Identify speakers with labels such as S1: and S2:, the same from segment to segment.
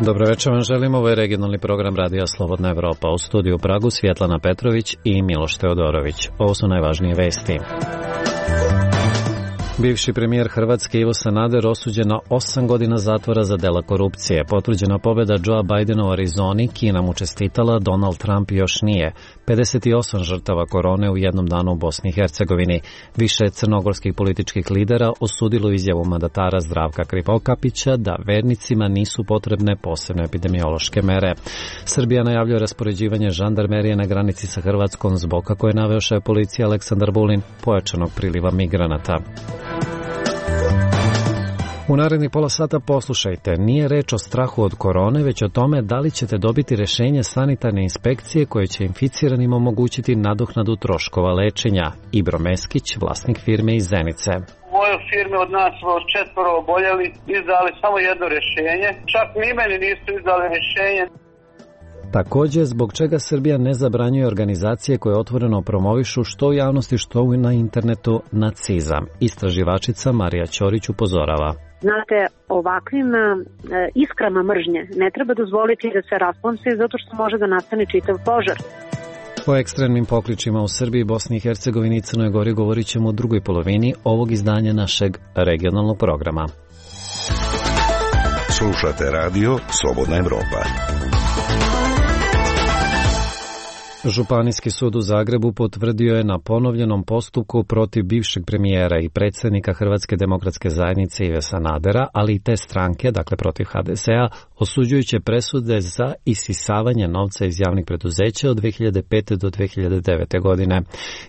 S1: Dobro večer vam želim, ovo je regionalni program Radija Slobodna Evropa. U studiju u Pragu Svjetlana Petrović i Miloš Teodorović. Ovo su najvažnije vesti. Bivši premijer Hrvatske Ivo Sanader osuđen na 8 godina zatvora za dela korupcije. Potvrđena pobjeda Joea Bidena u Arizoni, Kina mu čestitala, Donald Trump još nije. 58 žrtava korone u jednom danu u Bosni i Hercegovini. Više crnogorskih političkih lidera osudilo izjavu mandatara Zdravka Krivokapića da vernicima nisu potrebne posebne epidemiološke mere. Srbija najavljuje raspoređivanje žandarmerije na granici sa Hrvatskom zbog, kako je naveo šef policije Aleksandar Vulin, pojačanog priliva migranata. U narednih pola sata poslušajte, nije reč o strahu od korone, već o tome da li ćete dobiti rješenje sanitarne inspekcije koje će inficiranima omogućiti nadoknadu troškova lečenja. Ibro Meskić, vlasnik firme iz Zenice.
S2: U mojoj firmi od nas 4 oboljeli, izdali samo jedno rješenje, čak ni meni nisu izdali rješenje.
S1: Također, zbog čega Srbija ne zabranjuje organizacije koje otvoreno promovišu što u javnosti, što na internetu nacizam. Istraživačica Marija Ćorić upozorava.
S3: Znate, ovakvim iskrama mržnje ne treba dozvoliti da se rasplamse zato što može da nastane čitav požar.
S1: O ekstremnim pokličima u Srbiji, Bosni i Hercegovini i Crnoj Gori govorit ćemo u drugoj polovini ovog izdanja našeg regionalnog programa.
S4: Slušate radio Slobodna Evropa.
S1: Županijski sud u Zagrebu potvrdio je na ponovljenom postupku protiv bivšeg premijera i predsjednika Hrvatske demokratske zajednice Ive Sanadera, ali i te stranke, dakle protiv HDZ-a, osuđujuće presude za isisavanje novca iz javnih preduzeća od 2005. do 2009. godine,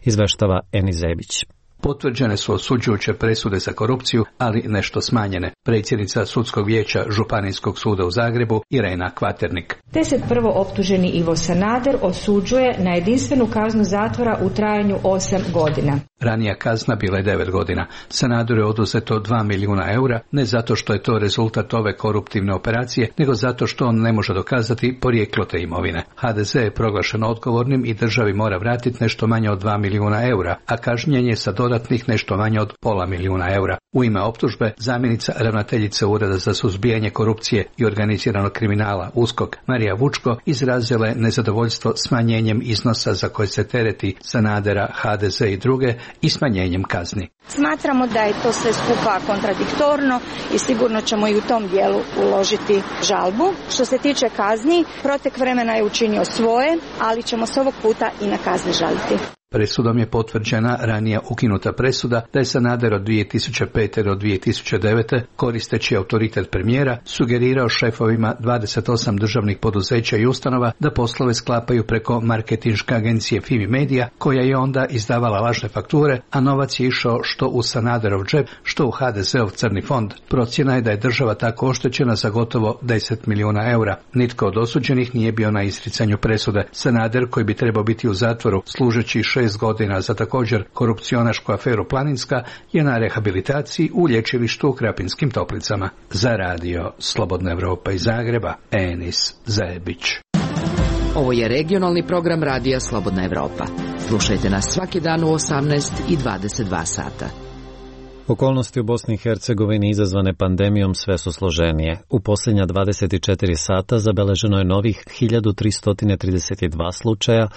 S1: izveštava Eni Zebić.
S5: Potvrđene su osuđujuće presude za korupciju, ali nešto smanjene. Predsjednica Sudskog vijeća Županijskog suda u Zagrebu Irena Kvaternik.
S6: Te se prvo optuženi Ivo Sanader osuđuje na jedinstvenu kaznu zatvora u trajanju 8 godina.
S5: Ranija kazna bila je 9 godina. Sanaderu je oduzeto 2 milijuna eura, ne zato što je to rezultat ove koruptivne operacije, nego zato što on ne može dokazati porijeklo te imovine. HDZ je proglašen odgovornim i državi mora vratiti nešto manje od 2 milijuna eura, a kažnjen je sa dodatnih nešto manje od pola milijuna eura. U ime optužbe, zamjenica ravnateljice Ureda za suzbijanje korupcije i organiziranog kriminala USKOK Marija Vučko izrazila je nezadovoljstvo smanjenjem iznosa za koje se tereti Sanadera, HDZ i druge i smanjenjem kazni.
S7: Smatramo da je to sve skupa kontradiktorno i sigurno ćemo i u tom dijelu uložiti žalbu. Što se tiče kazni, protek vremena je učinio svoje, ali ćemo se ovog puta i na kazni žaliti.
S5: Presudom je potvrđena ranija ukinuta presuda da je Sanader od 2005. do 2009. koristeći autoritet premijera sugerirao šefovima 28 državnih poduzeća i ustanova da poslove sklapaju preko marketinške agencije Fimi Media, koja je onda izdavala lažne fakture, a novac je išao što u Sanaderov džep, što u HDZ-ov crni fond. Procjena je da je država tako oštećena za gotovo 10 milijuna eura. Nitko od osuđenih nije bio na izricanju presude. Sanader, koji bi trebao biti u zatvoru služeći 6 godina za također korupcionašku aferu Planinska, je na rehabilitaciji u lječilištu u Krapinskim Toplicama. Za radio Slobodna Evropa iz Zagreba, Enis Zebić.
S8: Ovo je regionalni program Radija Slobodna Evropa. Slušajte nas svaki dan u 18 i 22 sata.
S1: Okolnosti u Bosni i Hercegovini izazvane pandemijom sve su složenije. U posljednja 24 sata zabeleženo je novih 1332 slučaja,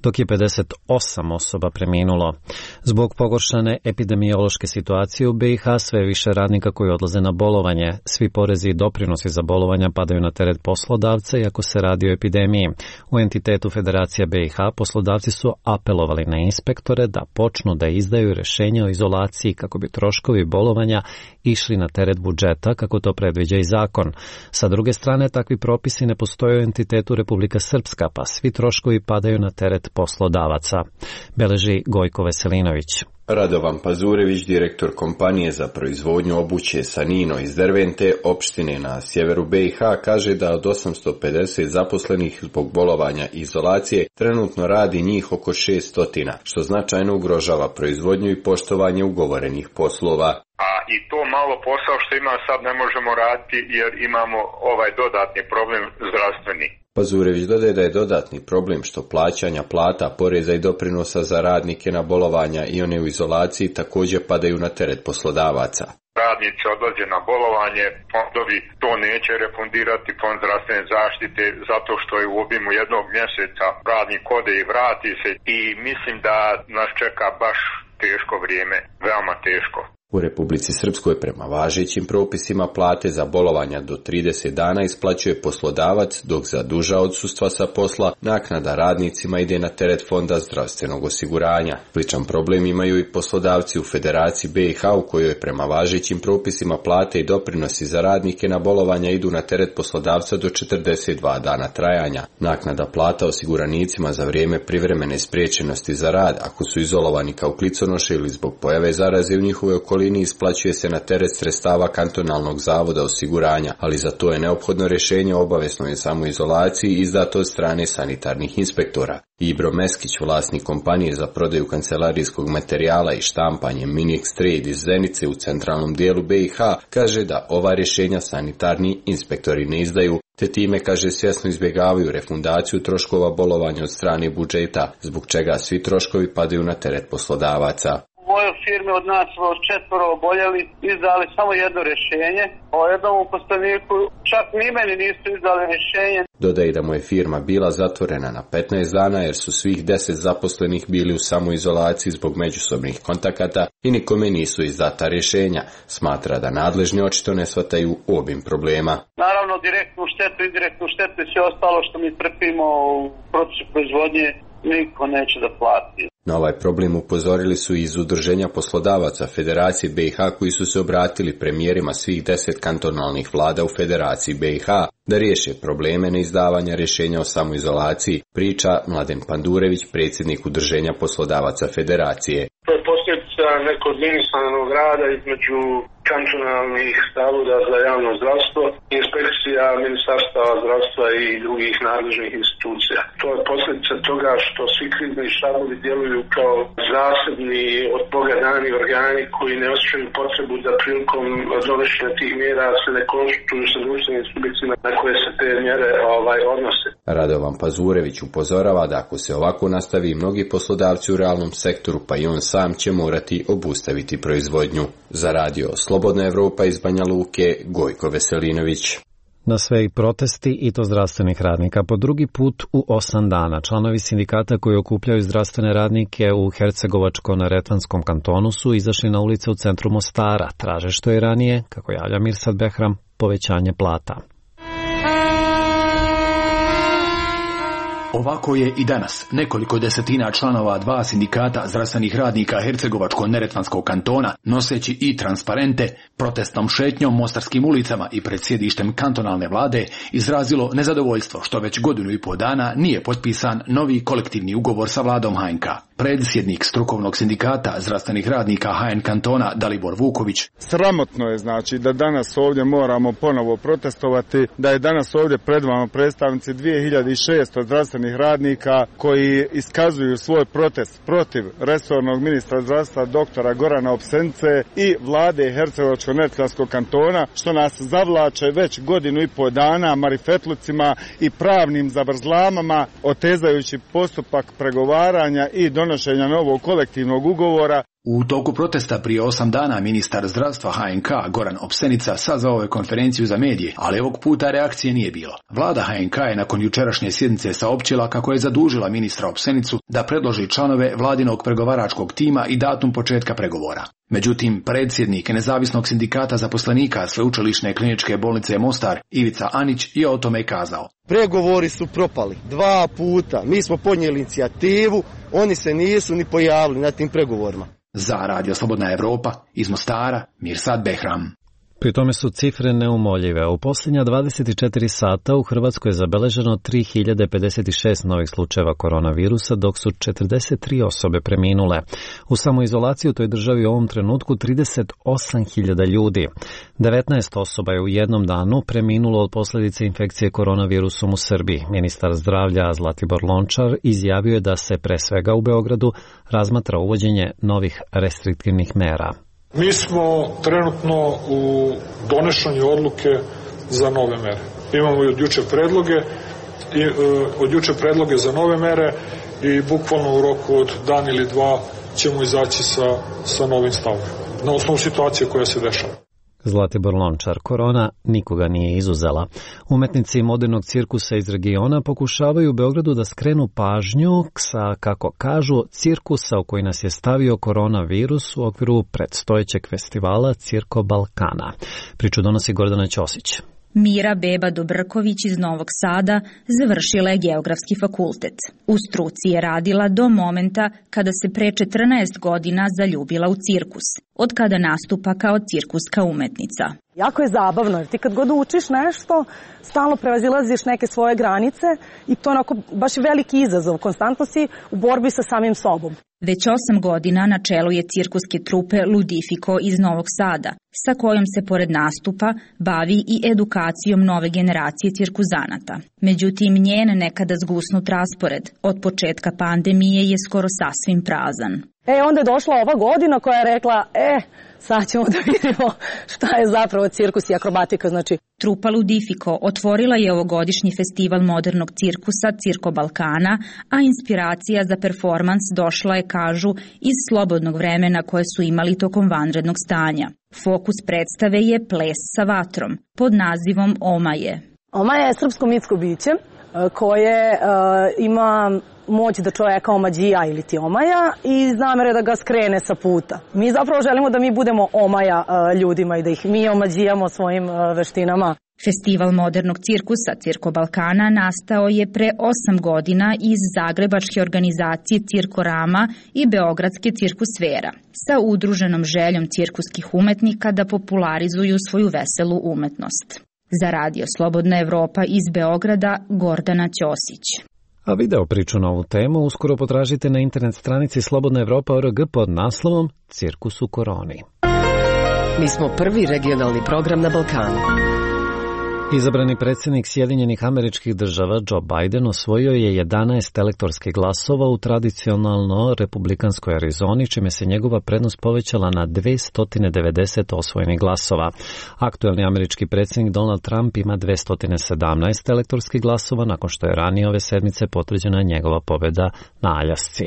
S1: dok je 58 osoba preminulo. Zbog pogoršane epidemiološke situacije u BiH sve više radnika koji odlaze na bolovanje. Svi porezi i doprinosi za bolovanja padaju na teret poslodavca iako se radi o epidemiji. U entitetu Federacija BiH poslodavci su apelovali na inspektore da počnu da izdaju rješenja o izolaciji kako bi troškovi bolovanja išli na teret budžeta kako to predviđa i zakon. Sa druge strane, takvi propisi ne postoje u entitetu Republika Srpska, pa svi troškovi padaju na teret poslodavaca, beleži Gojko Veselinović.
S9: Radovan Pazurević, direktor kompanije za proizvodnju obuće Sanino iz Dervente, opštine na sjeveru BiH, kaže da od 850 zaposlenih zbog bolovanja i izolacije trenutno radi njih oko 600, što značajno ugrožava proizvodnju i poštovanje ugovorenih poslova.
S10: A i to malo posao što ima sad ne možemo raditi jer imamo ovaj dodatni problem zdravstveni.
S9: Pazurević dodaje da je dodatni problem što plaćanja plata, poreza i doprinosa za radnike na bolovanja i one u izolaciji također padaju na teret poslodavaca.
S10: Radnici odlaze na bolovanje, fondovi to neće refundirati, fond zdravstvene zaštite, zato što je u obimu jednog mjeseca radnik ode i vrati se i mislim da nas čeka baš teško vrijeme, veoma teško.
S9: U Republici Srpskoj prema važećim propisima plate za bolovanja do 30 dana isplaćuje poslodavac, dok za duža odsustva sa posla naknada radnicima ide na teret Fonda zdravstvenog osiguranja. Sličan problem imaju i poslodavci u Federaciji BiH u kojoj prema važećim propisima plate i doprinosi za radnike na bolovanja idu na teret poslodavca do 42 dana trajanja. Naknada plata osiguranicima za vrijeme privremene spriječenosti za rad, ako su izolovani kao kliconoše ili zbog pojave zaraze u njihovoj okolini, isplaćuje se na teret sredstava kantonalnog zavoda osiguranja, ali za to je neophodno rješenje o obaveznoj samoizolaciji izdato od strane sanitarnih inspektora. Ibro Meskić, vlasnik kompanije za prodaju kancelarijskog materijala i štampanje Minix Trade iz Zenice u centralnom dijelu BiH, kaže da ova rješenja sanitarni inspektori ne izdaju, te time, kaže, svjesno izbjegavaju refundaciju troškova bolovanja od strane budžeta, zbog čega svi troškovi padaju na teret poslodavaca.
S2: U mojoj firmi od nas 4 oboljeli, izdali samo jedno rješenje. O jednom uposleniku čak ni meni nisu izdali rješenje.
S9: Dodaje da mu je firma bila zatvorena na 15 dana jer su svih 10 zaposlenih bili u samoizolaciji zbog međusobnih kontakata i nikome nisu izdata rješenja. Smatra da nadležni očito ne shvataju obim problema.
S2: Naravno, direktnu štetu, indirektnu štetu i sve ostalo što mi trpimo u procesu proizvodnje niko neće da plati.
S9: Na ovaj problem upozorili su iz Udruženja poslodavaca Federacije BiH koji su se obratili premijerima svih 10 kantonalnih vlada u Federaciji BiH da riješe probleme neizdavanja rješenja o samoizolaciji, priča Mladen Pandurević, predsjednik Udruženja poslodavaca Federacije.
S11: To je posljedica nekoordiniranog rada između kantonalnih zavoda za javno zdravstvo, inspekcija Ministarstva zdravstva i drugih nadležnih institucija. To je posljedica toga što svi krizni štabovi djeluju kao zasebni od Boga dani organi koji ne osjećaju potrebu da prilikom donošenja tih mjera se ne konsultuju sa društvenim subjektima na koje se te mjere odnose.
S9: Radovan Pazurević upozorava da ako se ovako nastavi, mnogi poslodavci u realnom sektoru, pa i on sam, će morati obustaviti proizvodnju. Za radio Slobodna Evropa iz Banja Luke, Gojko Veselinović.
S1: Na sve i protesti, i to zdravstvenih radnika. Po drugi put u 8 dana članovi sindikata koji okupljaju zdravstvene radnike u Hercegovačko-neretvanskom kantonu su izašli na ulice u centru Mostara. Traže što je ranije, kako javlja Mirsad Behram, povećanje plata.
S12: Ovako je i danas nekoliko desetina članova 2 sindikata zdravstvenih radnika Hercegovačko-neretvanskog kantona, noseći i transparente, protestnom šetnjom mostarskim ulicama i pred sjedištem kantonalne vlade, izrazilo nezadovoljstvo što već 1,5 dana nije potpisan novi kolektivni ugovor sa vladom HNK. Predsjednik strukovnog sindikata zdravstvenih radnika HN kantona Dalibor Vuković.
S13: Sramotno je znači da danas ovdje moramo ponovo protestovati, da je danas ovdje pred vama predstavnici 2600 zdravstvenih radnika koji iskazuju svoj protest protiv resornog ministra zdravstva doktora Gorana Opsenice i vlade Hercegovačko-neretvanskog kantona, što nas zavlače već 1,5 dana marifetlucima i pravnim zavrzlamama, otezajući postupak pregovaranja i donošenja novog kolektivnog ugovora.
S12: U toku protesta prije 8 dana ministar zdravstva HNK Goran Opsenica sazvao je konferenciju za medije, ali ovog puta reakcije nije bilo. Vlada HNK je nakon jučerašnje sjednice saopćila kako je zadužila ministra Opsenicu da predloži članove vladinog pregovaračkog tima i datum početka pregovora. Međutim, predsjednik nezavisnog sindikata zaposlenika Sveučilišne kliničke bolnice Mostar, Ivica Anić, je o tome kazao.
S14: Pregovori su propali 2 puta. Mi smo podnijeli inicijativu, oni se nisu ni pojavili na tim pregovorima.
S12: Za Radio Slobodna Evropa iz Mostara, Mirsad Behram.
S1: Pri tome su cifre neumoljive. U posljednja 24 sata u Hrvatskoj je zabeleženo 3056 novih slučajeva koronavirusa, dok su 43 osobe preminule. U samoizolaciji u toj državi u ovom trenutku 38.000 ljudi. 19 osoba je u jednom danu preminulo od posljedice infekcije koronavirusom u Srbiji. Ministar zdravlja Zlatibor Lončar izjavio je da se pre svega u Beogradu razmatra uvođenje novih restriktivnih mera.
S15: Mi smo trenutno u donošenju odluke za nove mere. Imamo i od jučer predloge od juče predloge za nove mere i bukvalno u roku od dan ili dva ćemo izaći sa novim stavom na osnovu situacije koja se dešava.
S1: Zlatibor Lončar, korona nikoga nije izuzela. Umetnici modernog cirkusa iz regiona pokušavaju u Beogradu da skrenu pažnju sa, kako kažu, cirkusa u koji nas je stavio koronavirus u okviru predstojećeg festivala Cirko Balkana. Priču donosi Gordana Ćosić.
S16: Mira Beba Dobrković iz Novog Sada završila je Geografski fakultet. U struci je radila do momenta kada se pre 14 godina zaljubila u cirkus, od kada nastupa kao cirkuska umetnica.
S17: Jako je zabavno, jer ti kad god učiš nešto, stalno prevazilaziš neke svoje granice i to je onako baš veliki izazov. Konstantno si u borbi sa samim sobom.
S16: Već 8 godina na čelu je cirkuske trupe Ludifiko iz Novog Sada, sa kojom se pored nastupa bavi i edukacijom nove generacije cirkuzanata. Međutim, njen nekada zgusnut raspored od početka pandemije je skoro sasvim prazan.
S17: Onda je došla ova godina koja je rekla, sad ćemo da vidimo šta je zapravo cirkus i akrobatika.
S16: Trupa Ludifiko otvorila je ovogodišnji festival modernog cirkusa Cirko Balkana, a inspiracija za performans došla je, kažu, iz slobodnog vremena koje su imali tokom vanrednog stanja. Fokus predstave je ples sa vatrom, pod nazivom Omaje.
S17: Omaje je srpsko mitsko biće koje ima moć da čovjeka omađija ili ti omaja i namere da ga skrene sa puta. Mi zapravo želimo da mi budemo omaja ljudima i da ih mi omađijamo svojim veštinama.
S16: Festival modernog cirkusa Cirko Balkana nastao je pre 8 godina iz zagrebačke organizacije Cirkorama i beogradske Cirkusfera, sa udruženom željom cirkuskih umetnika da popularizuju svoju veselu umetnost. Za Radio Slobodna Evropa iz Beograda, Gordana Ćosić.
S1: A video priču na ovu temu uskoro potražite na internet stranici slobodnaevropa.org pod naslovom Cirkus u koroni.
S18: Mi smo prvi regionalni program na Balkanu.
S1: Izabrani predsjednik Sjedinjenih Američkih Država Joe Biden osvojio je 11 elektorskih glasova u tradicionalno republikanskoj Arizoni, čime se njegova prednost povećala na 290 osvojenih glasova. Aktuelni američki predsjednik Donald Trump ima 217 elektorskih glasova, nakon što je ranije ove sedmice potvrđena njegova pobjeda na Aljasci.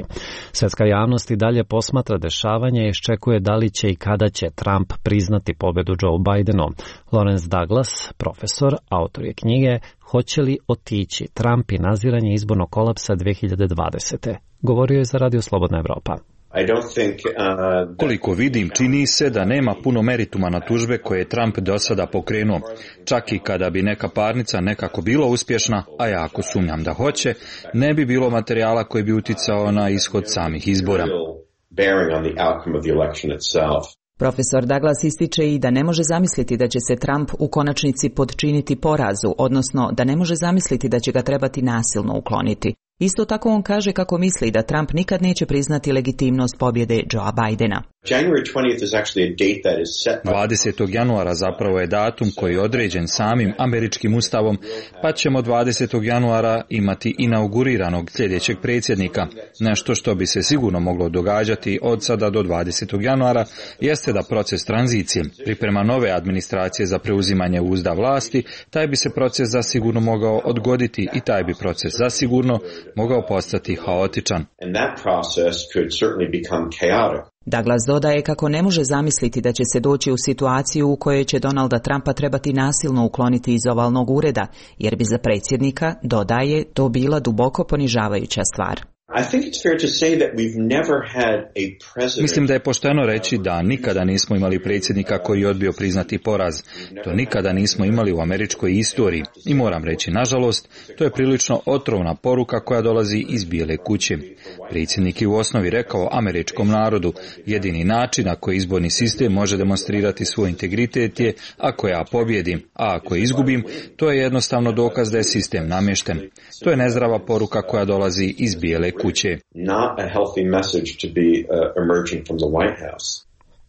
S1: Svjetska javnost i dalje posmatra dešavanje i iščekuje da li će i kada će Trump priznati pobjedu Joe Bidenu. Lawrence Douglas, profesor, autor je knjige Hoće li otići Trump i naziranje izbornog kolapsa 2020. Govorio je za Radio Slobodna Evropa.
S19: Koliko vidim, čini se da nema puno merituma na tužbe koje je Trump do sada pokrenuo. Čak i kada bi neka parnica nekako bila uspješna, a jako sumnjam da hoće, ne bi bilo materijala koji bi uticao na ishod samih izbora.
S20: Profesor Douglas ističe i da ne može zamisliti da će se Trump u konačnici podčiniti porazu, odnosno da ne može zamisliti da će ga trebati nasilno ukloniti. Isto tako on kaže kako misli da Trump nikad neće priznati legitimnost pobjede Joea Bidena.
S19: 20. januara zapravo je datum koji je određen samim američkim ustavom, pa ćemo 20. januara imati inauguriranog sljedećeg predsjednika. Nešto što bi se sigurno moglo događati od sada do 20. januara jeste da proces tranzicije, priprema nove administracije za preuzimanje uzda vlasti, taj bi se proces zasigurno mogao odgoditi i taj bi proces zasigurno mogao postati haotičan.
S20: Douglas dodaje kako ne može zamisliti da će se doći u situaciju u kojoj će Donalda Trumpa trebati nasilno ukloniti iz ovalnog ureda, jer bi za predsjednika, dodaje, to bila duboko ponižavajuća stvar.
S19: Mislim da je pošteno reći da nikada nismo imali predsjednika koji je odbio priznati poraz. To nikada nismo imali u američkoj istoriji. I moram reći, nažalost, to je prilično otrovna poruka koja dolazi iz Bijele kuće. Predsjednik je u osnovi rekao američkom narodu, jedini način na koji izborni sistem može demonstrirati svoj integritet je ako ja pobjedim, a ako izgubim, to je jednostavno dokaz da je sistem namješten. To je nezdrava poruka koja dolazi iz Bijele kuće.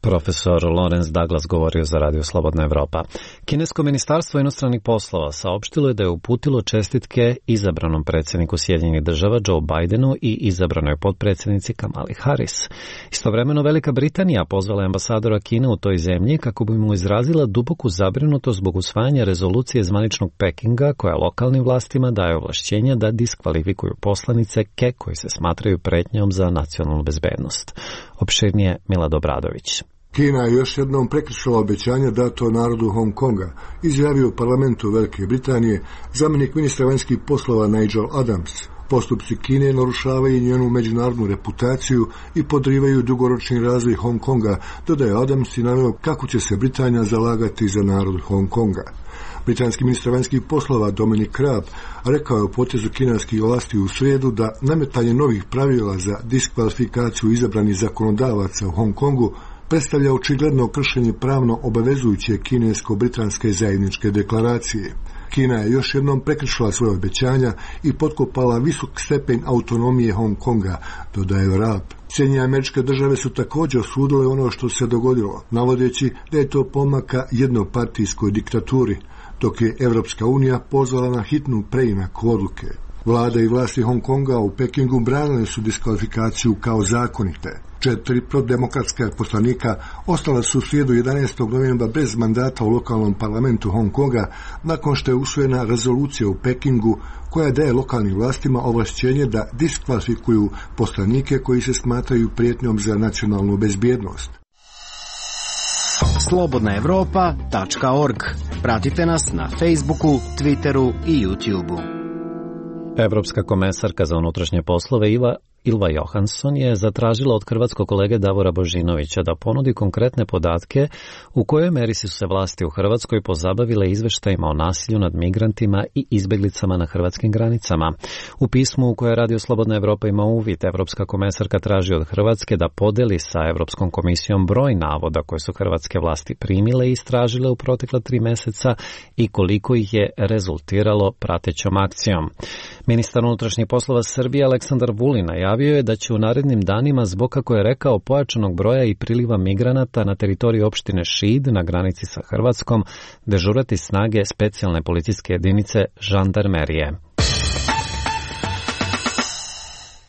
S1: Profesor Lawrence Douglas govorio za Radio Slobodna Evropa. Kinesko ministarstvo inostranih poslova saopštilo je da je uputilo čestitke izabranom predsjedniku Sjedinjenih država Joe Bidenu i izabranoj potpredsjednici Kamali Harris. Istovremeno Velika Britanija pozvala ambasadora Kine u toj zemlji kako bi mu izrazila duboku zabrinutost zbog usvajanja rezolucije zvaničnog Pekinga koja lokalnim vlastima daje ovlašćenja da diskvalifikuju poslanice koji se smatraju pretnjom za nacionalnu bezbednost. Opširnije Milad Obradović.
S21: Kina je još jednom prekršila obećanje dato narodu Hong Konga, izjavio u parlamentu Velike Britanije zamjenik ministra vanjskih poslova Nigel Adams. Postupci Kine narušavaju njenu međunarodnu reputaciju i podrivaju dugoročni razvoj Hong Konga, dodaje Adams i naveo kako će se Britanija zalagati za narod Hong Konga. Britanski ministar vanjskih poslova Dominic Raab rekao je o potezu kineskih vlasti u srijedu da nametanje novih pravila za diskvalifikaciju izabranih zakonodavaca u Hong Kongu predstavlja očigledno kršenje pravno obavezujuće kinesko-britanske zajedničke deklaracije. Kina je još jednom prekršila svoje obećanja i potkopala visok stepen autonomije Hong Konga, dodaje Raab. Sjedinjene Američke Države su također osudile ono što se dogodilo, navodeći da je to pomaka jednopartijskoj diktaturi, dok je Evropska unija pozvala na hitnu preinak odluke. Vlada i vlasti Hong Konga u Pekingu branile su diskvalifikaciju kao zakonite. 4 prodemokratska poslanika ostala su u srijedu 11. novembra bez mandata u lokalnom parlamentu Hong Konga nakon što je usvojena rezolucija u Pekingu koja daje lokalnim vlastima ovlašćenje da diskvalifikuju poslanike koji se smatraju prijetnjom za nacionalnu bezbjednost.
S22: slobodnaevropa.org. Pratite nas na Facebooku, Twitteru i YouTubeu.
S1: Evropska komesarka za unutrašnje poslove Ilva Johansson je zatražila od hrvatskog kolege Davora Božinovića da ponudi konkretne podatke u kojoj meri su se vlasti u Hrvatskoj pozabavile izveštajima o nasilju nad migrantima i izbjeglicama na hrvatskim granicama. U pismu u koje Radio Slobodna Evropa ima uvid, Evropska komesarka traži od Hrvatske da podeli sa Evropskom komisijom broj navoda koje su hrvatske vlasti primile i istražile u protekla 3 mjeseca i koliko ih je rezultiralo pratećom akcijom. Ministar unutrašnjih poslova Srbije Aleksandar Vulin najavio je da će u narednim danima zbog, kako je rekao, pojačanog broja i priliva migranata na teritoriji opštine Šid na granici sa Hrvatskom dežurati snage specijalne policijske jedinice žandarmerije.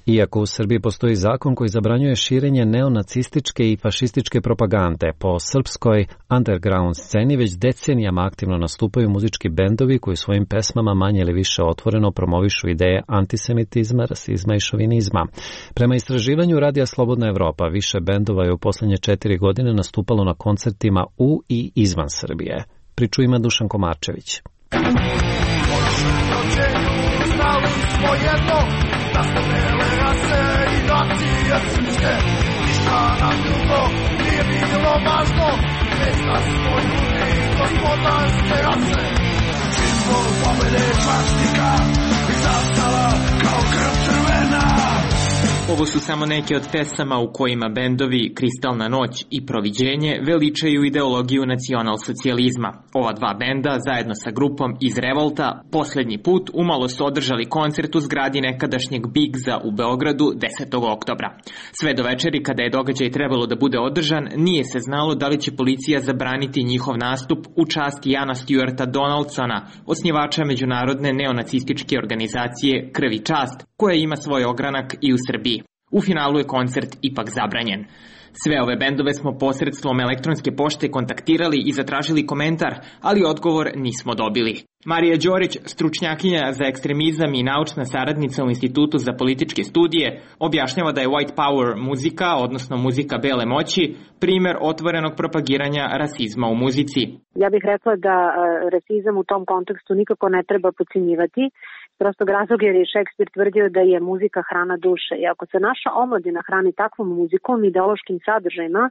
S1: Iako u Srbiji postoji zakon koji zabranjuje širenje neonacističke i fašističke propagande, po srpskoj underground sceni već decenijama aktivno nastupaju muzički bendovi koji svojim pesmama manje ili više otvoreno promovišu ideje antisemitizma, rasizma i šovinizma. Prema istraživanju Radija Slobodna Evropa, više bendova je u posljednje 4 godine nastupalo na koncertima u i izvan Srbije. Priču ima Dušan Komarčević.
S23: Da smo bele rase i nacije srpske, ništa nam drugo nije bilo važno, već da smo ljudi gospodarske rase. Simbol pobjede čvaštika i zastava kao krv crvena.
S24: Ovo su samo neke od pesama u kojima bendovi Kristalna noć i Proviđenje veličaju ideologiju nacionalsocijalizma. Ova dva benda, zajedno sa grupom iz Revolta, posljednji put umalo su održali koncert u zgradi nekadašnjeg Bigza u Beogradu 10. oktobra. Sve do večeri, kada je događaj trebalo da bude održan, nije se znalo da li će policija zabraniti njihov nastup u čast Jana Stuarta Donaldsona, osnivača međunarodne neonacističke organizacije Krv i čast, koja ima svoj ogranak i u Srbiji. U finalu je koncert ipak zabranjen. Sve ove bendove smo posredstvom elektronske pošte kontaktirali i zatražili komentar, ali odgovor nismo dobili. Marija Đorić, stručnjakinja za ekstremizam i naučna saradnica u Institutu za političke studije, objašnjava da je white power muzika, odnosno muzika bele moći, primjer otvorenog propagiranja rasizma u muzici.
S3: Ja bih rekla da rasizam u tom kontekstu nikako ne treba podcjenjivati. Prostog razloga jer je Šekspir tvrdio da je muzika hrana duše. I ako se naša omladina hrani takvom muzikom, ideološkim sadržajima,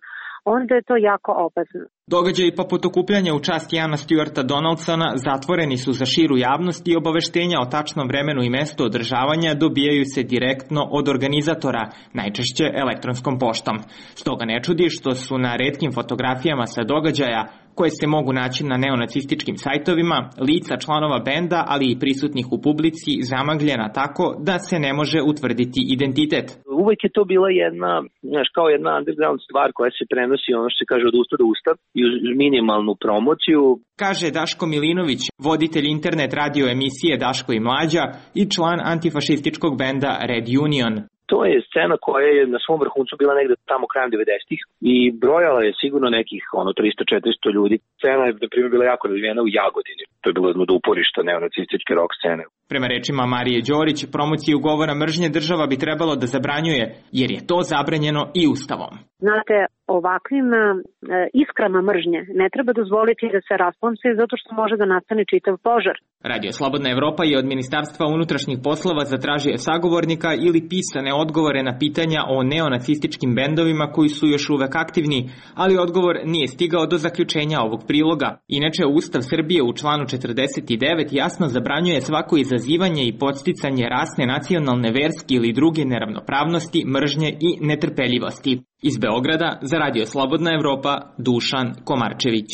S3: onda je to jako opasno.
S24: Događaji poput okupljanja u čast Jana Stuarta Donaldsona zatvoreni su za širu javnost i obaveštenja o tačnom vremenu i mestu održavanja dobijaju se direktno od organizatora, najčešće elektronskom poštom. Stoga ne čudi što su na retkim fotografijama sa događaja, koje se mogu naći na neonacističkim sajtovima, lica članova benda, ali i prisutnih u publici, zamagljena tako da se ne može utvrditi identitet.
S4: Uvek je to bila kao jedna underground stvar koja se prenosi, ono što se kaže, od usta do usta i uz minimalnu promociju.
S24: Kaže Daško Milinović, voditelj internet radio emisije Daško i Mlađa i član antifašističkog benda Red Union.
S4: To je scena koja je na svom vrhuncu bila negde tamo krajem 90-ih i brojala je sigurno nekih 300-400 ljudi. Scena je, na primjer, bila jako razvijena u Jagodini. To je bilo jedno od uporišta neonacističke rock scene.
S24: Prema rečima Marije Đorić, promociju govora mržnje država bi trebalo da zabranjuje, jer je to zabranjeno i Ustavom.
S3: Znate, ovakvim iskrama mržnje ne treba dozvoliti da se rasplamse zato što može da nastane čitav požar.
S24: Radio Slobodna Evropa je od Ministarstva unutrašnjih poslova zatražio sagovornika ili pisane odgovore na pitanja o neonacističkim bendovima koji su još uvek aktivni, ali odgovor nije stigao do zaključenja ovog priloga. Inače, Ustav Srbije u članu 49 jasno zabranjuje svako izazivanje i podsticanje rasne, nacionalne, verske ili druge neravnopravnosti, mržnje i netrpeljivosti. Iz Beograda za Radio Slobodna Evropa, Dušan Komarčević.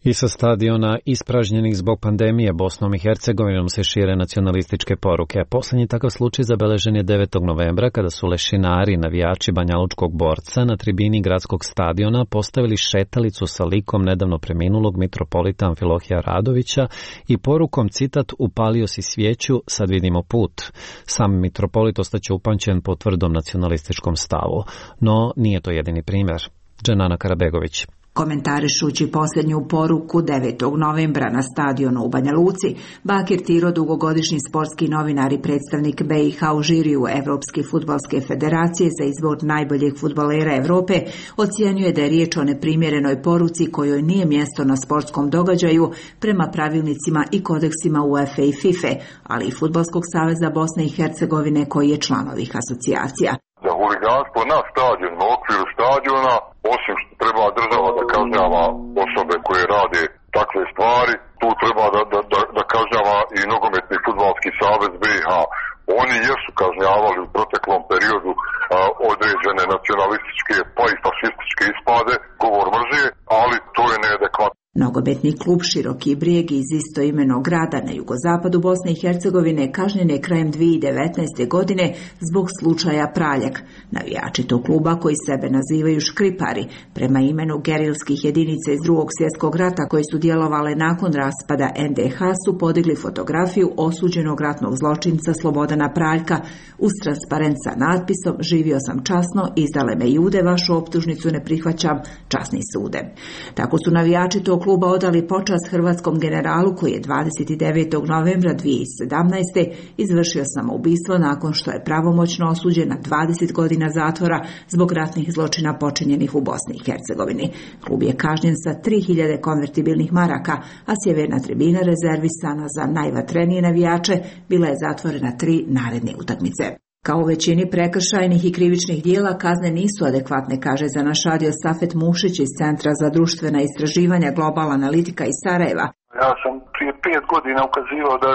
S1: I sa stadiona ispražnjenih zbog pandemije Bosnom i Hercegovinom se šire nacionalističke poruke. Posljednji takav slučaj zabeležen je 9. novembra kada su lešinari, navijači banjalučkog borca na tribini gradskog stadiona postavili šetalicu sa likom nedavno preminulog mitropolita Amfilohija Radovića i porukom, citat, upalio si svijeću, sad vidimo put. Sam mitropolit ostaće upamćen po tvrdom nacionalističkom stavu. No nije to jedini primjer. Dženana Karabegović.
S5: Komentarišući posljednju poruku 9. novembra na stadionu u Banja Luci, Bakir Tiro, dugogodišnji sportski novinar i predstavnik BiH u žiriju Evropske fudbalske federacije za izbor najboljeg fudbalera Evrope, ocijenjuje da je riječ o neprimjerenoj poruci kojoj nije mjesto na sportskom događaju prema pravilnicima i kodeksima UEFA i FIFA, ali i Fudbalskog saveza Bosne i Hercegovine koji je član ovih asocijacija.
S6: Za huliganstvo na stadionu, u okviru stadiona, osim što treba država da kažnjava osobe koje rade takve stvari, tu treba da kažnjava i nogometni fudbalski savez BiH. Oni jesu kažnjavali u proteklom periodu određene nacionalističke pa i fašističke ispade, govor mržnje, ali to je neadekvatno.
S5: Nogometni klub Široki Brijeg iz istoimenog grada na jugozapadu Bosne i Hercegovine kažnjen je krajem 2019. godine zbog slučaja Praljak. Navijači tog kluba, koji sebe nazivaju škripari, prema imenu gerilskih jedinica iz II. Svjetskog rata koje su djelovale nakon raspada NDH, su podigli fotografiju osuđenog ratnog zločinca Slobodana Praljka uz transparent sa natpisom "Živio sam časno, izdale me Jude, vašu optužnicu ne prihvaćam, časni sude". Tako su navijači tog kluba odali počast hrvatskom generalu koji je 29. novembra 2017. izvršio samoubistvo nakon što je pravomoćno osuđen na 20 godina zatvora zbog ratnih zločina počinjenih u Bosni i Hercegovini. Klub je kažnjen sa 3000 konvertibilnih maraka, a sjeverna tribina rezervisana za najvatrenije navijače bila je zatvorena 3 naredne utakmice. Kao u većini prekršajnih i krivičnih dijela, kazne nisu adekvatne, kaže za naš radio Safet Mušić iz Centra za društvena istraživanja Global Analitika iz Sarajeva.
S11: Ja sam prije 5 godina ukazivao da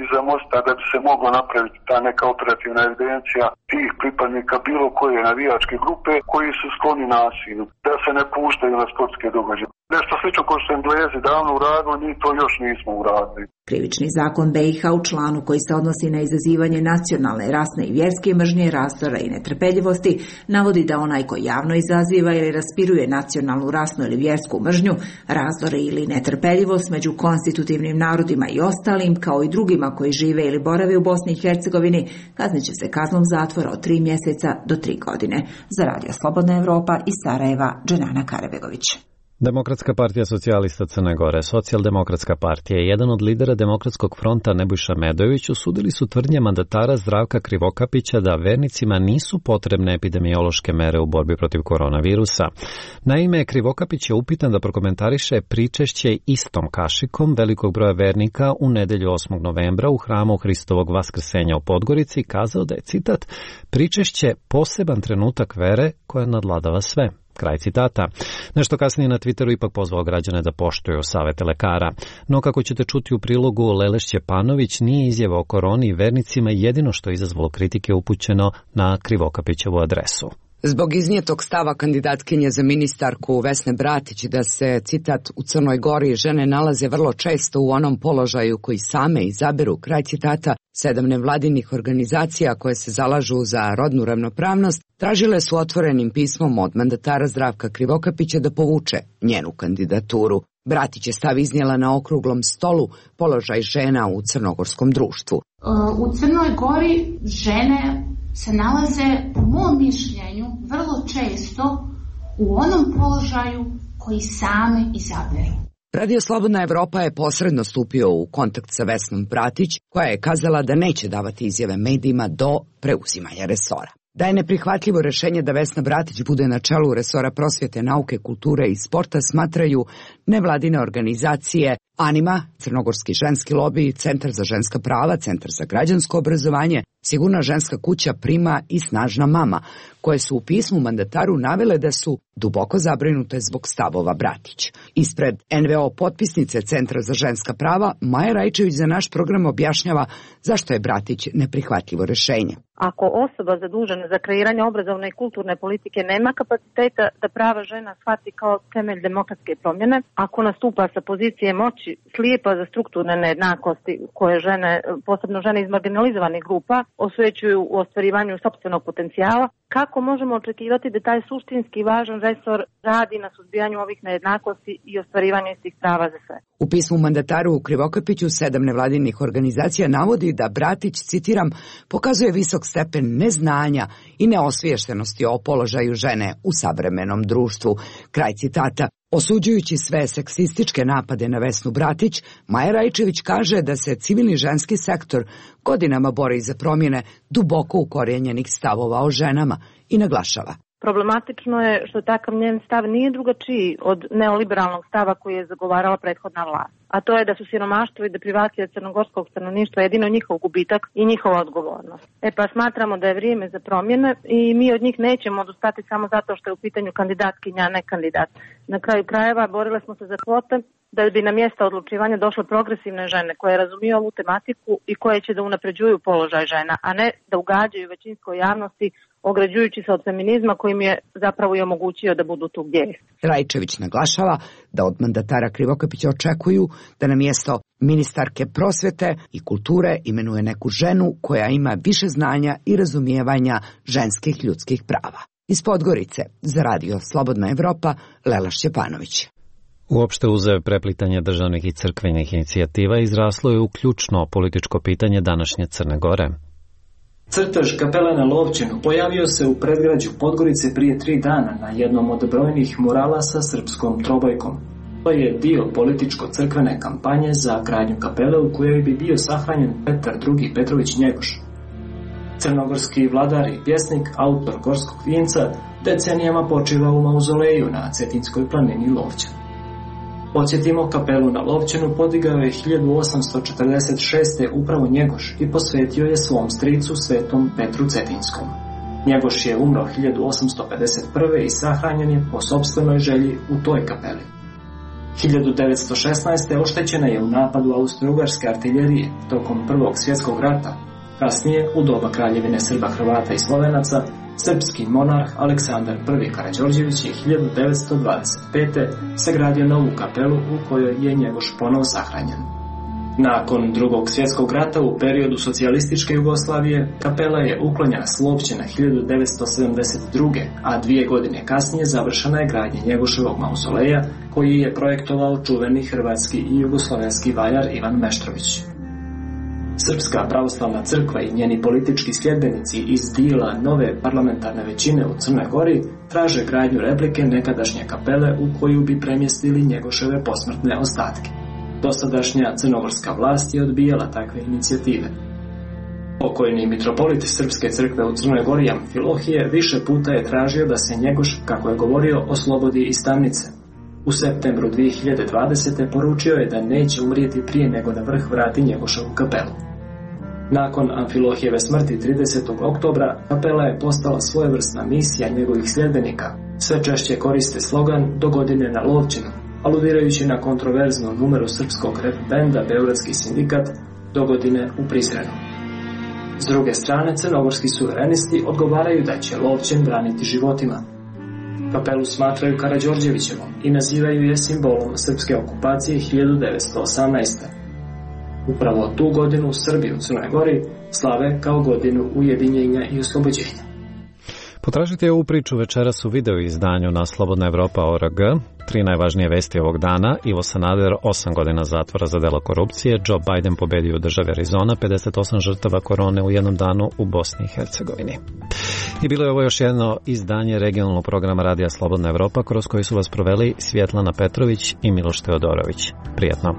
S11: iza mosta da bi se moglo napraviti ta neka operativna evidencija tih pripadnika bilo koje navijačke grupe koji su skloni nasilju, da se ne puštaju na sportske događaje. Nešto slično kao što Englezi davno uradili, mi to još nismo uradili.
S5: Krivični zakon BiH u članu koji se odnosi na izazivanje nacionalne, rasne i vjerske mržnje, razdora i netrpeljivosti navodi da onaj koji javno izaziva ili raspiruje nacionalnu, rasnu ili vjersku mržnju, razdore ili netrpeljivost među konstitutivnim narodima i ostalim, kao i drugima koji žive ili borave u Bosni i Hercegovini, kaznit će se kaznom zatvora od 3 mjeseca do 3 godine. Za Radio Slobodna Evropa iz Sarajeva, Dženana Karabegović.
S1: Demokratska partija socijalista Crne Gore, Socijaldemokratska partija i jedan od lidera Demokratskog fronta Nebojša Medojević osudili su tvrdnje mandatara Zdravka Krivokapića da vernicima nisu potrebne epidemiološke mere u borbi protiv koronavirusa. Naime, Krivokapić je upitan da prokomentariše pričešće istom kašikom velikog broja vernika u nedelju 8. novembra u hramu Hristovog Vaskrsenja u Podgorici, kazao da je, citat, pričešće poseban trenutak vere koja nadladava sve. Kraj citata. Nešto kasnije na Twitteru ipak pozvao građane da poštuju savete lekara. No kako ćete čuti u prilogu, Lele Šćepanović nije izjava o koroni i vernicima jedino što je izazvalo kritike upućeno na Krivokapićevu adresu.
S2: Zbog iznijetog stava kandidatkinje za ministarku Vesne Bratić da se, citat, u Crnoj Gori žene nalaze vrlo često u onom položaju koji same izaberu, kraj citata, 7 nevladinih organizacija koje se zalažu za rodnu ravnopravnost tražile su otvorenim pismom od mandatara Zdravka Krivokapića da povuče njenu kandidaturu. Bratić je stav iznijela na okruglom stolu položaj žena u crnogorskom društvu.
S7: U Crnoj Gori žene se nalaze, po mom mišljenju, vrlo često u onom položaju koji same izaberu.
S2: Radio Slobodna Evropa je posredno stupio u kontakt sa Vesnom Bratić, koja je kazala da neće davati izjave medijima do preuzimanja resora. Da je neprihvatljivo rešenje da Vesna Bratić bude na čelu resora prosvjete, nauke, kulture i sporta smatraju nevladine organizacije Anima, Crnogorski ženski lobi, Centar za ženska prava, Centar za građansko obrazovanje, Sigurna ženska kuća Prima i Snažna mama, koje su u pismu mandataru navele da su duboko zabrinute zbog stavova Bratić. Ispred NVO potpisnice Centra za ženska prava, Maja Rajčević za naš program objašnjava zašto je Bratić neprihvatljivo rešenje.
S8: Ako osoba zadužena za kreiranje obrazovne i kulturne politike nema kapaciteta da prava žena shvati kao temelj demokratske promjene, ako nastupa sa pozicije moći slijepa za strukturne nejednakosti koje žene, posebno žene iz marginalizovanih grupa, osvećuju u ostvarivanju sopstvenog potencijala, kako možemo očekivati da taj suštinski važan resor radi na suzbijanju ovih nejednakosti i ostvarivanju istih prava za sve?
S2: U pismu mandataru u Krivokapiću 7 nevladinih organizacija navodi da Bratić, citiram, pokazuje visok stepen neznanja i neosviještenosti o položaju žene u savremenom društvu. Kraj citata. Osuđujući sve seksističke napade na Vesnu Bratić, Maja Rajčević kaže da se civilni ženski sektor godinama bori za promjene duboko ukorijenjenih stavova o ženama i naglašava.
S8: Problematično je što takav njen stav nije drugačiji od neoliberalnog stava koji je zagovarala prethodna vlast. A to je da su siromaštvo i deprivacija crnogorskog stanovništva jedino njihov gubitak i njihova odgovornost. Pa smatramo da je vrijeme za promjene i mi od njih nećemo odustati samo zato što je u pitanju kandidatkinja, a ne kandidat. Na kraju krajeva borile smo se za kvote da bi na mjesta odlučivanja došle progresivne žene koje razumiju ovu tematiku i koje će da unapređuju položaj žena, a ne da ugađaju većinskoj javnosti ograđujući se od feminizma koji mi je zapravo i omogućio da budu tu gdje je.
S2: Rajčević naglašava da od mandatara Krivokapića očekuju da na mjesto ministarke prosvjete i kulture imenuje neku ženu koja ima više znanja i razumijevanja ženskih ljudskih prava. Iz Podgorice za Radio Slobodna Evropa, Lela Šćepanović.
S1: Uopšte uz preplitanje državnih i crkvenih inicijativa izraslo je u ključno političko pitanje današnje Crne Gore.
S10: Crtež kapele na Lovćenu pojavio se u predgrađu Podgorice prije 3 dana na jednom od brojnih murala sa srpskom trobojkom. To je dio političko-crkvene kampanje za gradnju kapele u kojoj bi bio sahranjen Petar II. Petrović Njegoš. Crnogorski vladar i pjesnik, autor Gorskog vinca, decenijama počiva u mauzoleju na Cetinskoj planini Lovćan. Podsjetimo, kapelu na Lovćenu podigao je 1846. upravo Njegoš i posvetio je svom stricu svetom Petru Cetinskom. Njegoš je umro 1851. i sahranjen je po sopstvenoj želji u toj kapeli. 1916. oštećena je u napadu austro-ugarske artiljerije tokom Prvog svjetskog rata. Kasnije, u doba kraljevine Srba, Hrvata i Slovenaca, srpski monarh Aleksandar I. Karađorđević je 1925. sagradio novu kapelu u kojoj je Njegoš ponovo sahranjen. Nakon Drugog svjetskog rata u periodu socijalističke Jugoslavije, kapela je uklonjena s Lovćena 1972. a 2 godine kasnije završena je gradnja Njegoševog mauzoleja koji je projektovao čuveni hrvatski i jugoslovenski vajar Ivan Meštrović. Srpska pravoslavna crkva i njeni politički sljedbenici iz dijela nove parlamentarne većine u Crnoj Gori traže gradnju replike nekadašnje kapele u koju bi premjestili Njegoševe posmrtne ostatke. Dosadašnja crnogorska vlast je odbijala takve inicijative. Pokojni mitropolit Srpske crkve u Crnoj Gori Amfilohije više puta je tražio da se Njegoš, kako je govorio, oslobodi iz tamnice. U septembru 2020. poručio je da neće umrijeti prije nego na vrh vrati Njegoševu kapelu. Nakon Amfilohijeve smrti 30. oktobra, kapela je postala svojevrsna misija njegovih sljedbenika. Sve češće koriste slogan "Do godine na Lovćinu", aludirajući na kontroverznu numeru srpskog rap benda Beogradski sindikat "Do godine u Prizrenu". S druge strane, crnogorski suverenisti odgovaraju da će Lovćen braniti životima. Kapelu smatraju Karađorđevićevom i nazivaju je simbolom srpske okupacije 1918. Upravo tu godinu Srbi u Crnoj Gori slave kao godinu ujedinjenja i oslobođenja.
S1: Potražite ovu priču večeras u video izdanju na slobodnaevropa.org. 3 najvažnije vesti ovog dana: Ivo Sanader 8 godina zatvora za delo korupcije, Joe Biden pobedio u državi Arizona, 58 žrtava korone u jednom danu u Bosni i Hercegovini. I bilo je ovo još jedno izdanje regionalnog programa Radija Slobodna Evropa, kroz koji su vas proveli Svjetlana Petrović i Miloš Teodorović. Prijetno.